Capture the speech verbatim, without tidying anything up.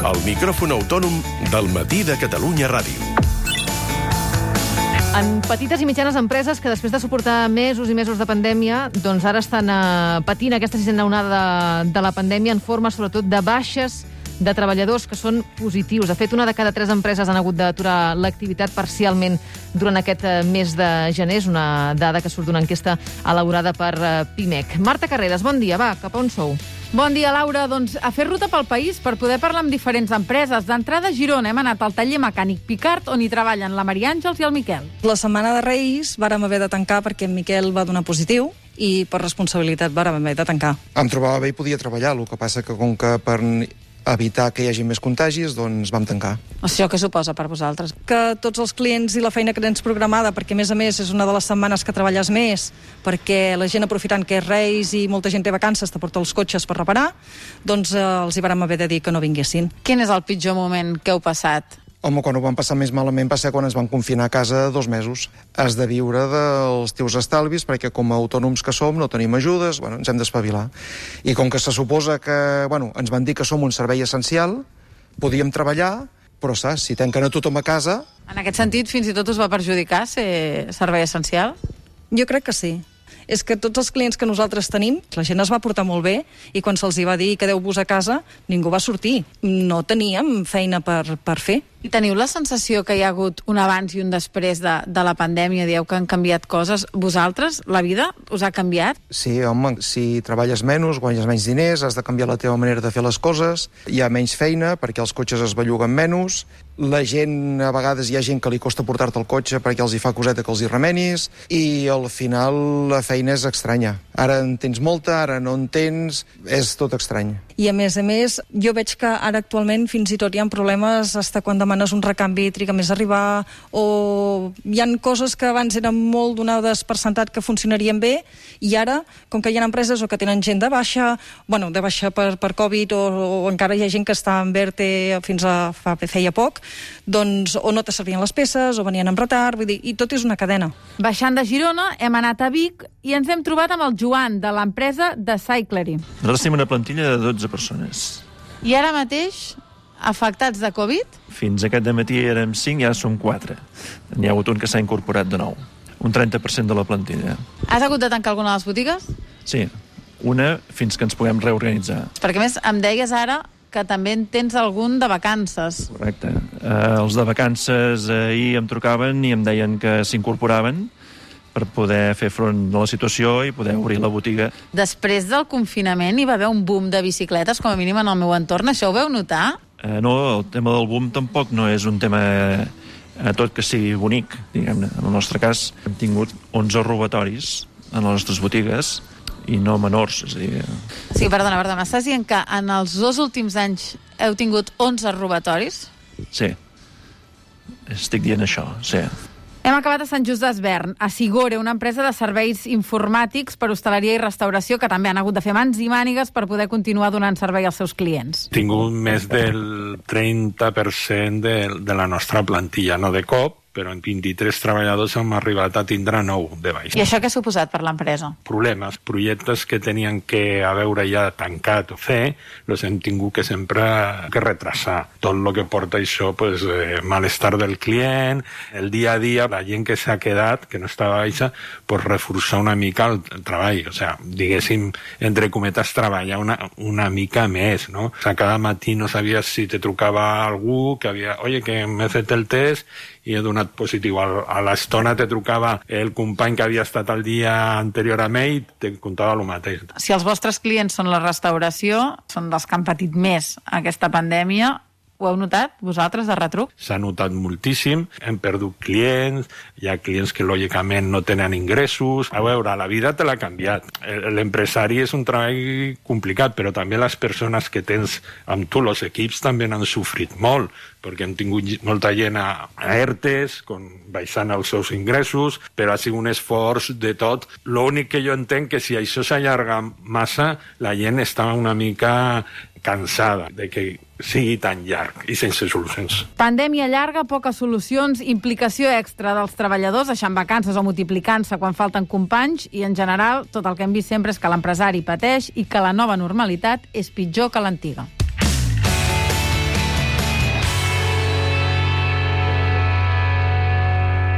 El micròfon autònom del Matí de Catalunya Ràdio. En petites i mitjanes empreses que després de suportar mesos i mesos de pandèmia, doncs ara estan eh, patint aquesta sisena onada de, de la pandèmia en forma sobretot de baixes de treballadors que són positius. De fet, una de cada tres empreses han hagut d'aturar l'activitat parcialment durant aquest mes de gener. És una dada que surt d'una enquesta elaborada per Pimec. Marta Carreras, bon dia. Va, cap a on sou? Bon dia, Laura. Doncs a fer ruta pel país per poder parlar amb diferents empreses. D'entrada a Girona hem anat al taller mecànic Picard, on hi treballen la Maria Àngels i el Miquel. La setmana de Reis vàrem haver de tancar perquè en Miquel va donar positiu i per responsabilitat vàrem haver de tancar. Em trobava bé i podia treballar, el que passa que com que per evitar que hi hagi més contagis, doncs vam tancar. Això què suposa per vosaltres? Que tots els clients i la feina que tens programada, perquè a més a més és una de les setmanes que treballes més, perquè la gent aprofitant que és Reis i molta gent té vacances, te porta els cotxes per reparar, doncs eh, els hi vàrem haver de dir que no vinguessin. Quin és el pitjor moment que heu passat? Home, quan ho vam passar més malament va ser quan ens van confinar a casa dos mesos. Has de viure dels teus estalvis, perquè com a autònoms que som no tenim ajudes, bueno, ens hem d'espavilar. I com que se suposa que, bueno, ens van dir que som un servei essencial, podíem treballar, però saps, si tanquen a tothom a casa... En aquest sentit, fins i tot us va perjudicar ser servei essencial? Jo crec que sí. És que tots els clients que nosaltres tenim, la gent es va portar molt bé i quan se'ls hi va dir quedeu-vos a casa, ningú va sortir. No teníem feina per, per fer. I teniu la sensació que hi ha hagut un abans i un després de, de la pandèmia? Dieu que han canviat coses. Vosaltres, la vida, us ha canviat? Sí, home, si treballes menys, guanyes menys diners, has de canviar la teva manera de fer les coses, hi ha menys feina perquè els cotxes es belluguen menys, la gent, a vegades hi ha gent que li costa portar-te el cotxe perquè els hi fa coseta que els hi remenis, i al final la feina és estranya. Ara en tens molta, ara no en tens, és tot estrany. I a més a més, jo veig que ara actualment fins i tot hi ha problemes fins quan demanes un recanvi, triga més a arribar, o hi ha coses que abans eren molt donades per sentat que funcionarien bé, i ara, com que hi ha empreses o que tenen gent de baixa, bueno, de baixa per, per Covid, o, o encara hi ha gent que està en ERTE fins a fa, feia poc, doncs o no te servien les peces, o venien amb retard, vull dir, i tot és una cadena. Baixant de Girona, hem anat a Vic i ens hem trobat amb el Joan, de l'empresa de Cyclery. Nosaltres tenim una plantilla de dotze persones. I ara mateix, afectats de Covid? Fins aquest dematí érem cinc i ara som quatre. N'hi ha hagut un que s'ha incorporat de nou. Un trenta per cent de la plantilla. Has hagut de tancar alguna de les botigues? Sí, una fins que ens puguem reorganitzar. Perquè a més em deies ara que també en tens algun de vacances. Correcte. Uh, els de vacances ahir em trucaven i em deien que s'incorporaven per poder fer front a la situació i poder obrir la botiga. Després del confinament hi va haver un boom de bicicletes, com a mínim en el meu entorn. Això ho veu notar? Uh, no, el tema del boom tampoc no és un tema uh, tot que sigui bonic, diguem-ne. En el nostre cas hem tingut onze robatoris en les nostres botigues i no menors, és a dir... Sí, perdona, perdona, m'estàs dient que en els dos últims anys heu tingut onze robatoris? Sí, estic dient això, sí. Hem acabat a Sant Just Desvern, a Sigore, una empresa de serveis informàtics per hostaleria i restauració que també han hagut de fer mans i mànigues per poder continuar donant servei als seus clients. He tingut més del trenta per cent de, de la nostra plantilla, no de cop, però en vint-i-tres treballadors hem arribat a tindre nou de baix. I això què ha suposat per l'empresa? Problemes, projectes que tenien que a veure ja tancat o fer, els hem tingut que sempre que retrasar. Tot el que porta això, pues, eh, malestar del client, el dia a dia, la gent que s'ha quedat, que no estava baixa, pues, reforçar una mica el treball. O sea, diguéssim, entre cometes, treballar una, una mica més, no? O sea, cada matí no sabies si te trucava algú, que havia, oye, que m'he fet el test i he donat positiu. A l'estona te trucava el company que havia estat el dia anterior a ell i te contava el mateix. Si els vostres clients són la restauració, són dels que han patit més aquesta pandèmia, ho heu notat, vosaltres, de retruc? S'ha notat moltíssim, hem perdut clients, hi ha clients que lògicament no tenen ingressos. A veure, la vida te l'ha canviat. L'empresari és un treball complicat, però també les persones que tens amb tu, els equips, també n'han sofrit molt, perquè hem tingut molta gent a ERTEs, con, baixant els seus ingressos, però ha sigut un esforç de tot. L'únic que jo entenc que si això s'allarga massa, la gent està una mica cansada de que sigui tan llarg i sense solucions. Pandèmia llarga, poques solucions, implicació extra dels treballadors, deixant vacances o multiplicant-se quan falten companys, i en general tot el que hem vist sempre és que l'empresari pateix i que la nova normalitat és pitjor que l'antiga.